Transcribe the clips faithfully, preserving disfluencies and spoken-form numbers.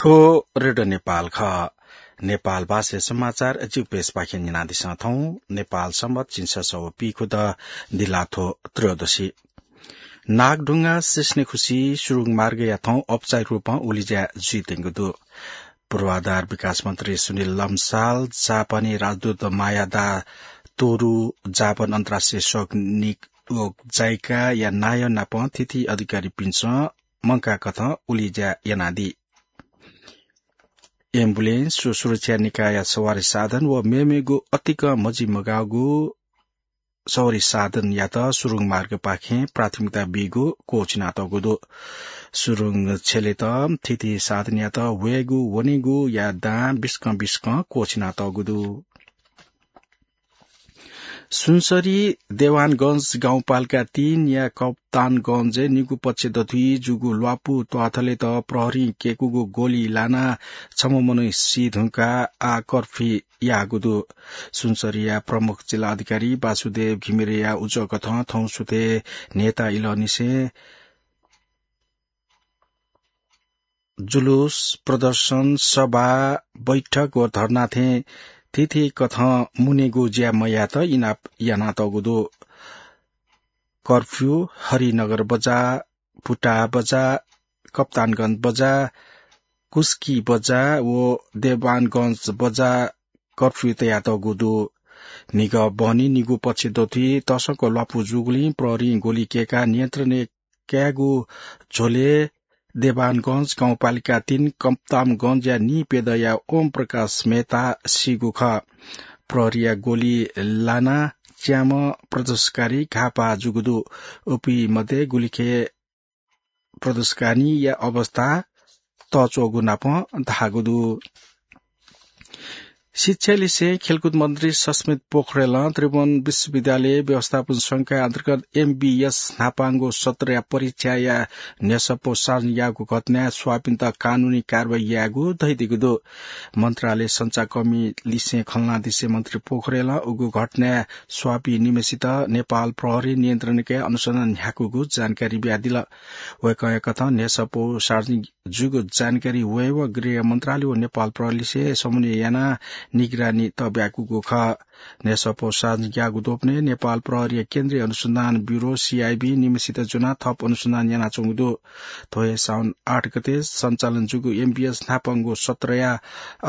थ्व रेडियो नेपाल खः। नेपाल भाषा समाचार जिउपेसपाखें न्यनादिसँ थौं। नेपाल संवत झिंछसः व पीखुदँ दिल्लाथ्व त्रयोदशी। नागढुंगा सिस्नेखुसी सुरुङ मार्गया थौं औपचारिक रूपं उलिज्या जुइत्यंगु दु। पूर्वाधार विकास मन्त्री सुनिल लम्साल, जापानी राजदूत मायादा तोरु, जापान अन्तर्राष्ट्रिय सैनिक व जाइकाया नायः नाप थीथी अधिकारीपिन्सं मंकाःकथं उलिज्या यानादी। एम्बुलेन्स व सुरक्षा निकायया सवारी साधन व मेमेगु अतिकं मजिमगाःगु सवारी साधनयात सुरुङ मार्गपाखें प्राथमिकता बीगु क्वःछिनातःगु दु। सुरुङ छ्यलेत थीथी साधनयात वयेगु वनेगुया दां बिस्कं बिस्कं क्वःछिनातःगु दु। सुनसरी देवानगंज गाउँपालिका तीनया कप्तानगंजय् निगू पक्ष दथुइ जूगु ल्वापु त्वाथलेत प्रहरीं केकूगु गोली लानाः छम्ह मनू सी धुंकाः आः कर्फ्यू याःगु दु। सुनसरीया प्रमुख जिल्ला अधिकारी वासुदेव घिमिरेया उजं कथं थौं सुथय् न्हय्ता इलंनिसें जुलुस, प्रदर्शन, सभा, बैठक व धर्ना थें थीथी कथं मुनेगु ज्या मयायेत इनाप यानातःगु दु। कर्फ्यू हरिनगर बजार, भुटाह बजार, कप्तानगंज बजार, कुस्की बजार व देवानगंज बजार कर्फ्यू तयातःगु दु। म्हिगः बहनी निगू पक्ष दथुइ तसकं ल्वापु जूगुलिं प्रहरीं गोली कय्काः नियन्त्रण कायेगु झ्वलय् देवानगंज गाउँपालिका तीन कप्तानगंजया नीप्यदँया ओम प्रकाश मेहता सीगु खः। प्रहरीया गोली लानाः च्याम्ह प्रदर्शनकारी घाःपाः जूगु दु। उपिं मध्ये गुलिखे प्रदर्शनकारीया अवस्था तःच्वःगु नाप धाःगु दु। शिक्षा लिसें खेलकुद मन्त्री सस्मित पोखरेलं त्रिभुवन विश्वविद्यालय व्यवस्थापन संकाय अन्तर्गत एमबीएस न्हापांगु सत्रया परीक्षाया न्ह्यसः पौ सार्वजनिक याःगु घटनाय् स्वाःपिन्त कानूनी कारवाही यायेगु धयादीगु दु। मन्त्रालय सञ्चारकर्मी लिसें खँल्हानादिसे मन्त्री पोखरेलं उगु घटनाय् स्वाःपिं निम्हसित नेपाल प्रहरी नियन्त्रणय् अनुसन्धान न्ह्याकूगु जानकारी बियादिल। वय्कःया कथं न्ह्यसः पौ सार्वजनिक जूगु जानकारी वयेवं गृह मन्त्रालय व नेपाल प्रहरीलिसे समन्वय यानाः निगरानी तःब्याकूगु खः। न्ह्यसः पौ सार्वजनिक याःगु द्वपनय् नेपाल प्रहरीया केन्द्रीय अनुसन्धान ब्यूरो, सीआईबी, निम्हसित ज्वनाः थप अनुसन्धान यानाच्वंगु दु। थ्व हे साउन आठ गते सञ्चालन जूगु एमबीएस न्हापांगु सत्रया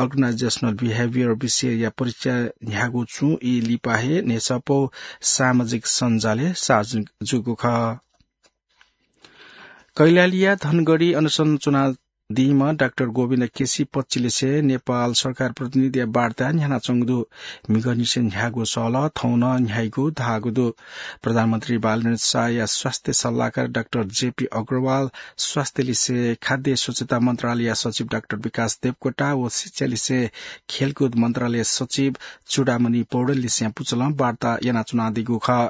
organizational behaviour विषयया परीक्षा न्ह्यागु छुं ई लिपा हे न्ह्यसः पौ सामाजिक सञ्जालय् सार्वजनिक जूगु खः। कैलालीया धनगढी अनसन च्वनादीम्ह डाक्टर गोविन्द केसी पक्षलिसे नेपाल सरकार प्रतिनिधिया वार्ता न्ह्यानाच्वंगु दु। म्हिगःनिसें न्ह्याःगु सहलह थौं नं न्ह्याइगु धाःगु दु। प्रधानमन्त्री बालकृष्ण शाहया स्वास्थ्य सल्लाहकार डाक्टर जेपी अग्रवाल, स्वास्थ्यलिसे खाद्य स्वच्छता मन्त्रालयया सचिव डाक्टर विकास देवकोटा व शिक्षालिसे खेलकुद मन्त्रालय सचिव चूडामणि पौडेललिसें पुचलं वार्ता यानाच्वनादीगु खः।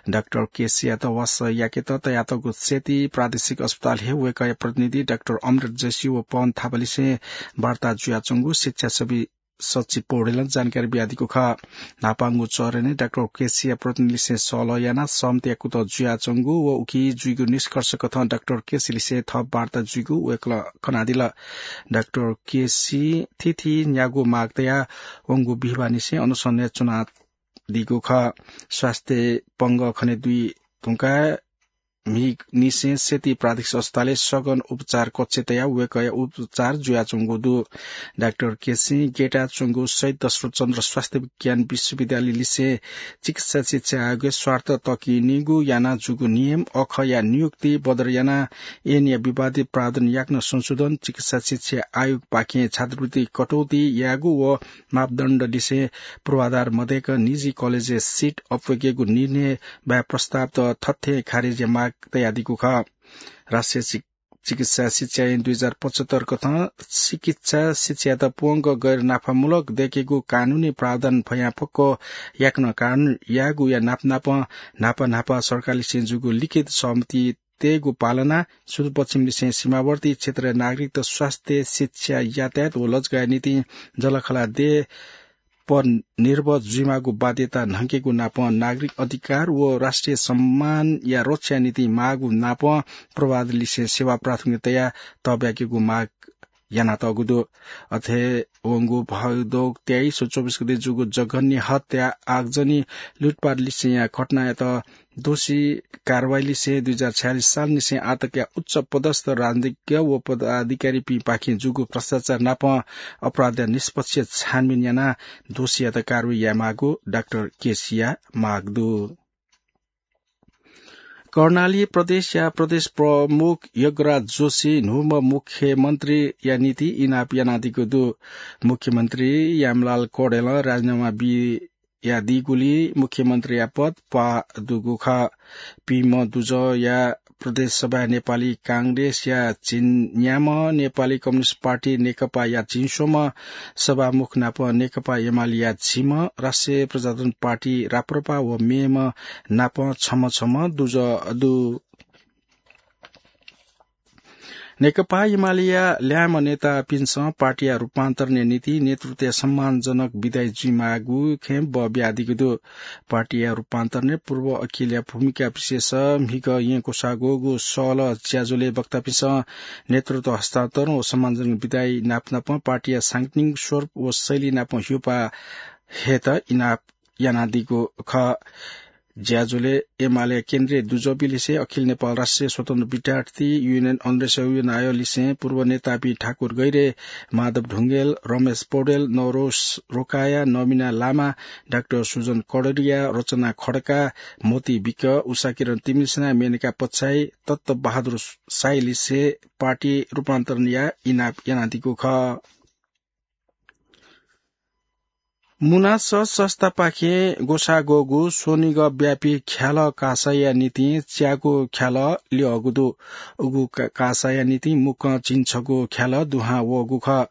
डाक्टर केसीयात वासः याकेत तयातःगु सेती प्रादेशिक अस्पतालय् वय्कःया प्रतिनिधि डाक्टर अमृत जोशी व पवन थापालिसें वार्ता जुयाच्वंगु शिक्षा सवि-, सचिव पौडेलं जानकारी बियादीगु खः। न्हापांगु चरणय् डाक्टर केसीया प्रतिनिधिलिसें सहलह यानाः सहमतिया कुतः जुयाच्वंगु व उकी जुइगु निष्कर्ष कथं डाक्टर केसीलिसें थप वार्ता जुइगु वय्कलं कनादिल। डाक्टर केसी थीथी न्यागू माग तयाः वंगु बिहिबाःनिसें अनसनय् च्वनादीगु खः। स्वास्थ्य पंगः खने दुई धुंकाः म्हिगःनिसें सेती प्रादेशिक अस्पतालय् सघन उपचार कक्ष तयाः वय्कःया उपचार जुयाच्वंगु दु। डाक्टर केसीं ग्यताच्वंगु शहीद दशरथ चन्द्र स्वास्थ्य विज्ञान विश्वविद्यालयलिसें चिकित्सा शिक्षा आयोगय् स्वार्थ तःकिनिगु यानाः जूगु नियम अखःया नियुक्ति बदर यानाः ऐनया विवादित प्रावधान याकनं संशोधन, चिकित्सा शिक्षा आयोगपाखें छात्रवृत्ति कटौती यायेगु व मापदण्डलिसें पूर्वाधार मदय्क निजी कलेजय् सिट अप्वय्केगु निर्णय बाहेक प्रस्तावत थथें खारेजया माग तयादीगु खः। राष्ट्रिय चिक-, चिकित्सा शिक्षा ऐन दुई हजार पचहत्तर कथं चिकित्सा शिक्षायात प्वंक गैर नाफामूलक दय्केगु कानूनी प्रावधान फयां फक्व याकनं कानून यायेगुया नापनापं न्हापा न्हापा सरकारलिसें जूगु लिखित सहमति तयेगु पालना, सुदूरपश्चिमलिसें सीमावर्ती क्षेत्रया नागरिकत स्वास्थ्य, शिक्षा, यातायात व लजगाःया निंतिं जःलाखःला देय् पर निर्भर जुइमाःगु बाध्यता न्हंकेगु नापं नागरिक अधिकार व राष्ट्रिय सम्मानया रक्षाया निंतिं माःगु नापं पूर्वाधारलिसें सेवा प्राथमिकता तयाः तःब्याकेगु माग यानातःगु दु। अथे वंगु भाद्रौ तेइस व चौबिस गते जूगु जघन्य हत्या, आगजनी, लुटपाट लिसेया घटनायात दोषी कारवाही लिसे दुई हजार छयालिस साल निसें आतकया उच्च पदस्थ राजनीतिज्ञ व पदाधिकारीपिं पाखें जूगु भ्रष्टाचार नाप अपराधया निष्पक्ष छानबिन यानाः दोषीयात कारवाही यायेमाःगु डाक्टर केसीया माग दु। कर्णाली प्रदेशया प्रदेश प्रमुख यज्ञराज जोशी न्हूम्ह मुख्यमन्त्रीया निंतिं इनाप यानादीगु दु। मुख्यमन्त्री यामलाल कौडेलं राजीनामा बियादीगुलिं मुख्यमन्त्रीया पद प्वाः दुगु खः। पिंम्ह दुजःया प्रदेश सभाय् नेपाली कांग्रेसया झिंन्याम्ह, नेपाली कम्युनिस्ट पार्टी नेकपाया झिंस्वम्ह सभामुख नाप नेकपा एमालेया झिम्ह, राष्ट्रिय प्रजातन्त्र पार्टी राप्रपा व मेम्ह नाप छम्ह छम्ह दुजः दु। नेकपा एमालेया ल्याय्म्ह नेतापिन्सं पार्टीया रूपान्तरणया निंतिं नेतृत्वया सम्मानजनक बिदाइ जुइमाःगु खँय् बः बियादीगु दु। पार्टीया रूपान्तरणय् पूर्व अखिलया भूमिका विशेष म्हिगः येँ क्वसाःग्वःगु सहलह ज्याझ्वलय् वक्तापिन्सं नेतृत्व हस्तान्तरण व सम्मानजनक बिदाइ नापनापं पार्टीया सांगठनिक स्वरूप व शैली नाप ह्यूपाः हयेत इनाप यानादीगु खः। ज्याझ्वलय् एमाले केन्द्रीय दुजःपिं लिसे अखिल नेपाल राष्ट्रिय स्वतन्त्र विद्यार्थी युनियन अन्वेषकया नायः लिसें पूर्व नेतापिं ठाकुर गैह्रे, माधव ढुंगेल, रमेश पौडेल, नवरोज रोकाया, नमिना लामा, डाक्टर सुजन कौडरिया, रचना खड्का, मोती विक, उषाकिरण तिमिल्सिना, मेनका पच्छाइ, तत्त्व बहादुर साई लिसे पार्टी रूपान्तरणया इनाप यानादीगु खः। मुना सः संस्थापाखें ग्वसाः ग्वःगु स्वनिगः व्यापी ख्यालः कासाया निंतिं च्यागू ख्यालः ल्यःगु दु। उगु का-, कासाया निंतिं मुक्कं झिंछगू ख्यालः दुहां वःगु खः।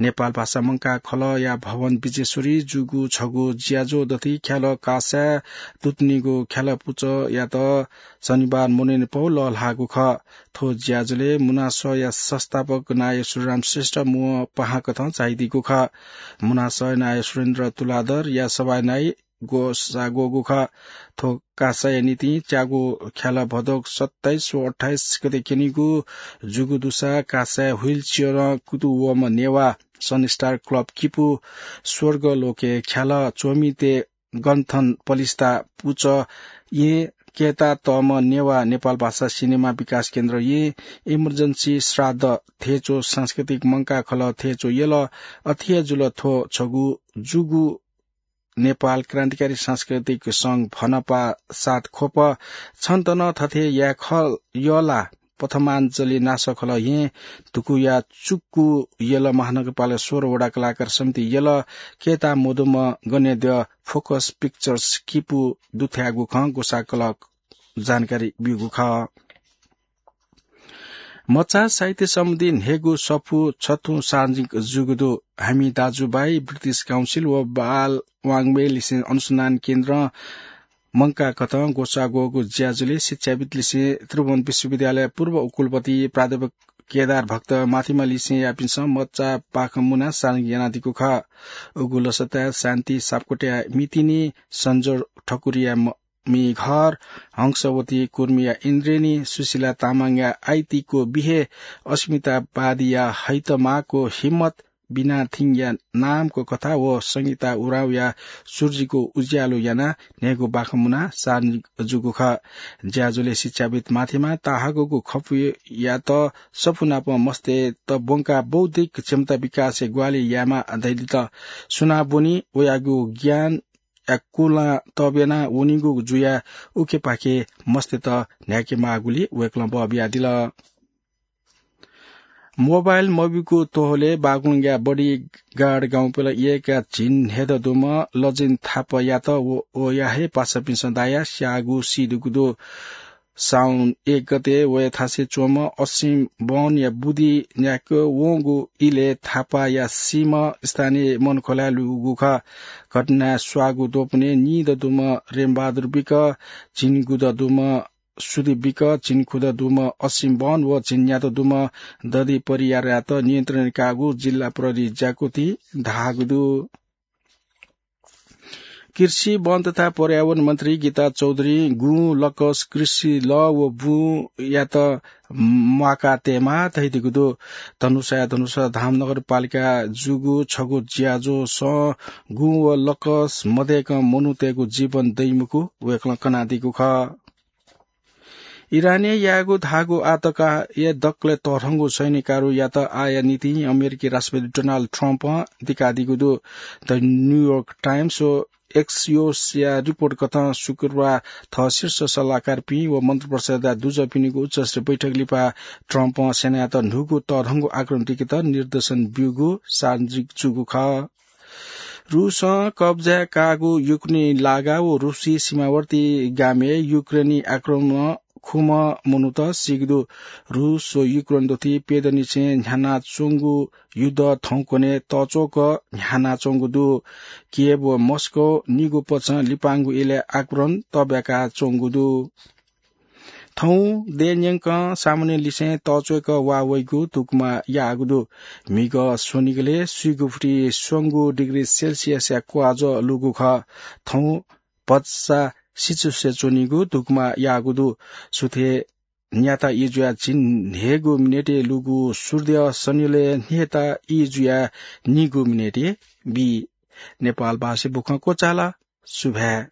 नेपाल भाषा मंकाः खलःया भवन विजेश्वरी जूगु छगू ज्याझ्वः दथुइ ख्यालः कासाय् दुतुनिगु ख्यालः पुचःयात शनिबार मनूलिपा लःल्हाःगु खः। थ्व ज्याझ्वलय् मुना सःया संस्थापक नायः सुरेन्द्रराम श्रेष्ठ मुवं पाहां कथं झायादीगु खः। मुना सःया नायः सुरेन्द्र तुलाधरया सभाय् नाइ ग्वसाः ग्वःगु खः। थ्व कासाया निंतिं च्यागू ख्यालः भदौ सत्ताइस व अट्ठाइस गते क्यनीगु जूगु दुसा कासाय् wheelchair-ं कुतुं वःम्ह नेवाः सनस्टार क्लब किपु स्वर्ग लोकय् ख्यालः च्वमितय् गन्थन पलिस्था पुचः येँ कय्तातःम्ह नेवाः नेपाल भाषा सिनेमा विकास केन्द्र येँ, इमर्जेन्सी श्राद्ध थेच्वः सांस्कृतिक मंकाः खलः थेच्वः यलः। अथे हे जुल थ्व छगू जूगु नेपाल क्रान्तिकारी सांस्कृतिक संघ भनपा सात ख्वप। छन्त नं थथे याये खः यः ला? प्रथमाञ्जली नासः खलः येँ धुकुया चुक्कु यलः महानगरपालिका सोह्र वडा कलाकार समिति यलः कय्ता मदुम्ह गनेद्यः फोकस पिक्चर्स किपु दुथ्याःगु खँ ग्वसाः कलं जानकारी ब्यूगु खः। मचा साहित्य सम्बन्धी न्हय्गू सफू छथुं सार्वजनिक जूगु दु। हामी दाजुभाइ, ब्रिटिश काउन्सिल व बाल वाङ्मयलिसें अनुसन्धान केन्द्रं मंकाः कथं ग्वसाः ग्वःगु ज्याझ्वलय् शिक्षाविद् लिसें त्रिभुवन विश्वविद्यालय पूर्व उपकुलपति प्राध्यापक केदार भक्त माथिमा लिसें यापिन्सं मचा पाखं मुना सार्वजनिक यानादीगु खः। उगु लसताय् शान्ति सापकोटाया मितिनी, सन्जोर ठकुरीया म-, मिघर, हंसवती कुर्मीया इन्द्रेणी, सुशीला तामाङया आइतीको बिहे, अस्मिता बादीया हैतमाको हिम्मत, बिनाथिङया नामको कथा व संगीता उराँवया सुर्जीको उज्यालो यानाः न्हय्गू बाखं मुना सार्वजनिक जूगु खः। ज्याझ्वलय् शिक्षाविद् माथिमा ताहाकःगु खपुयात सफू नाप मस्तय्त ब्वंकाः बौद्धिक क्षमता विकासय् ग्वाहालि यायेमाः धयादिल। सुनां ब्वनी वयागु ज्ञानया कुलां तःब्याना वनीगु जुयाः उखेपाखे मस्तय्त न्ह्याकेमाःगुलिं वय्कलं बः बियादिल। मोबाइल मब्यूगु तोहलय् बागलुङया बडीगाड गाउँपालिका एकया झिंन्हय्दँ दुम्ह लजिन थापायात व, वया हे पासापिन्सं दायाः स्याःगु सीदीगु दु। साउन एक गते वया थासय् च्वंम्ह असिम बहनया बुँदि न्याके वंगु इलय् थापाया सीम्ह स्थानीय मनखोलाय् लूगु खः। घटनाय् स्वाःगु द्वपनय् नीदँ दुम्ह रेमबहादुर विक, झिंगुदँ दुम्ह सुदीप विक, झिंखुदँ दुम्ह असिम बहन व झिंन्यादँ दुम्ह दधि परियारयात नियन्त्रणय् काःगु जिल्ला प्रहरी ज्याकुथिं धाःगु दु। कृषि, वन तथा पर्यावरण मन्त्री गीता चौधुरीं गुँ, लकस, कृषि लः व बुँयात म्वाका तयेमाः धयादीगु दु। धनुषाया धनुषा धाम नगरपालिका जूगु छगू ज्याझ्वलय् गुँ व लकस मदय्कं मनूतय्गु जीवन दइमखु वय्कलं कनादीगु खः। इरानय् याःगु धाःगु आतंकया दकलय् तःधंगु सैन्य कारोबारयात आःया निंतिं अमेरिकी राष्ट्रपति डोनाल्ड ट्रम्पं दिकादीगु दु। द न्यूयोर्क टाइम्स व एक्सियोसया रिपोर्ट कथं शुक्रबार थः शीर्ष सल्लाहकारपिं व मन्त्रिपरिषदया दुजःपिनिगु उच्चस्तरीय बैठक लिपा ट्रम्पं सेनायात न्हूगु तःधंगु आक्रमण दिकेत निर्देशन ब्यूगु सार्वजनिक जूगु खः। रूसं कब्जाय् काःगु युक्रेनी लागा व रूसी सीमावर्ती गामय् युक्रेनी आक्रमणं खुम्ह मनूत सीगु दु। रूस व युक्रेन दथुइ प्यदँनिसें न्ह्यानाच्वंगु युद्ध थौंकन्हय् तःच्वंक न्ह्यानाच्वंगु दु। कियेव व मस्को निगू पक्षं लिपांगु इलय् आक्रमण तब्याकाच्वंगु दु। थौं देय् न्यंकं सामान्य लिसें तःच्वय्क वा वइगु धुकुमा याःगु दु। म्हिगः स्वनिगलय् स्वीगू फुति स्वंगू डिग्री सेल्सियसया क्वाःज्वः लूगु खः। थौं भचा सिचुसे च्वनीगु धुकुमा याःगु दु। सुथय् न्याता ई जुयाः झिंन्हय्गू मिनेटय् लूगु सूर्य स्वनिलय् न्ह्यःता ई जुयाः निगू मिनेटय् बी। नेपाल भाषाय् बुखँ क्वचाल। सुभाय्।